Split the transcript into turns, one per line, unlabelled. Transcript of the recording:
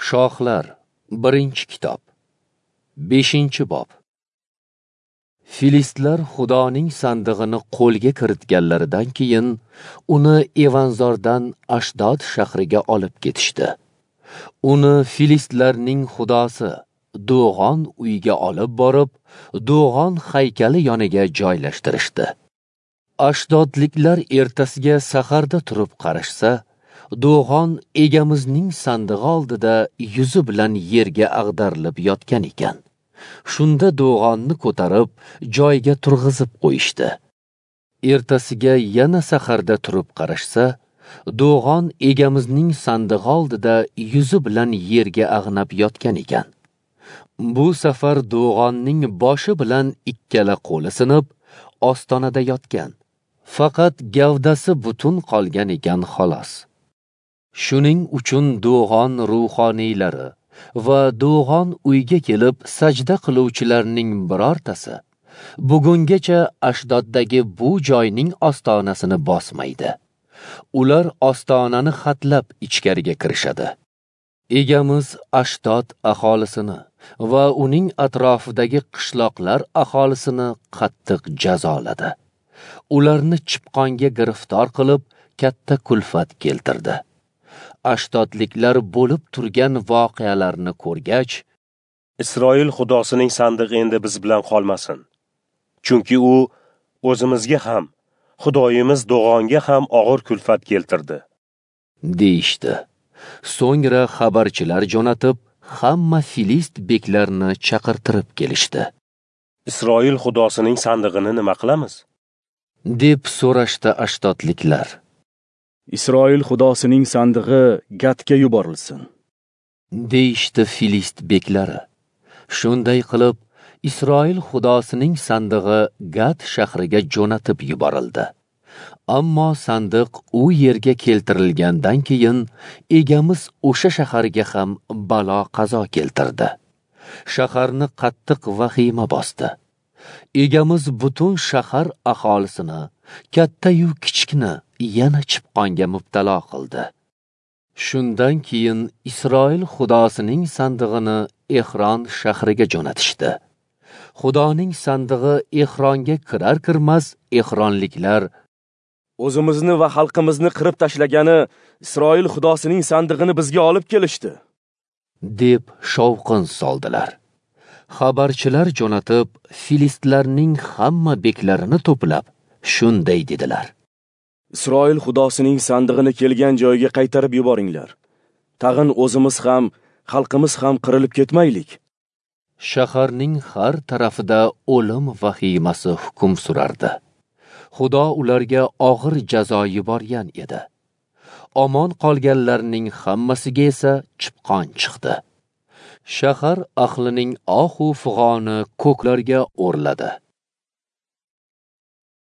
Shohlar, 1-kitob, 5-bob. Filistlar Xudoning sandig'ini qo'lga kiritganlaridan keyin uni Evanzordan Ashdod shahriga olib ketishdi. Uni filistlarning xudosi Do'g'on uyiga olib borib, Do'g'on haykali yoniga joylashtirishdi. Ashdodliklar ertasiga saharda turib qarashsa, Do'g'on egamizning sandig'i oldida yuzi bilan yerga ag'darilib yotgan ekan. Shunda Do'g'onni ko'tarib, joyiga turg'izib qo'yishdi. Ertasiga yana saharda turib qarashsa, Do'g'on egamizning sandig'i oldida yuzi bilan yerga ag'nab yotgan ekan. Bu safar Do'g'onning boshi bilan ikkala qo'li sinib, ostonada yotgan. Faqat gavdasi butun qolgan ekan xolos. Shuning uchun Do'g'on ruhoniylari va Do'g'on uyga kelib sajda qiluvchilarning birortasi bugungacha Ashdoddagi bu joyning ostonasini bosmaydi. Ular ostonani xatlab ichkariga kirishadi. Egamiz Ashdod aholisini va uning atrofidagi qishloqlar aholisini qattiq jazoladi. Ularni chipqonga giriftor qilib, katta kulfat keltirdi. Ashdodliklar bo'lib turgan voqealarni ko'rgach,
Isroil xudosining sandig'i endi biz bilan qolmasin. Chunki u o'zimizga ham, Xudoyimiz Do'g'onga ham og'ir kulfat keltirdi,
deyishdi. So'ngra xabarchilar jo'natib, hamma filist beklarini chaqirtirib kelishdi.
Isroil xudosining sandig'ini nima qilamiz?
Deb so'rashdi ashdodliklar.
Isroil xudosining sandig'i Gatga yuborilsin,
deyishdi filist beklari. Shunday qilib, Isroil xudosining sandig'i Gat shahriga jo'natib yuborildi. Ammo sandiq u yerga keltirilgandan keyin egamiz o'sha shaharga ham balo qazo keltirdi. Shaharni qattiq vahima bosdi. Egamiz butun shahar aholisini, katta-yu kichikni yana chipqonga mubtalo qildi. Shundan keyin Isroil xudosining sandig'ini Ehron shahriga jo'natishdi. Xudoning sandig'i Ehronga kirar-kirmas ehronliklar
o'zimizni va xalqimizni qirib tashlagani Isroil xudosining sandig'ini bizga olib kelishdi,
deb shovqin soldilar. Xabarchilar jo'natib, filistlarning hamma beklarini to'plab, shunday dedilar:
Isroil xudosining sandig'ini kelgan joyiga qaytarib yuboringlar. Tag'in o'zimiz ham, xalqimiz ham qirilib ketmaylik.
Shaharning har tarafida o'lim vahimasi hukm surardi. Xudo ularga og'ir jazo yuborgan edi. Omon qolganlarning hammasiga esa chipqon chiqdi. Shahar ahlining ohu fig'oni ko'klarga o'rladi.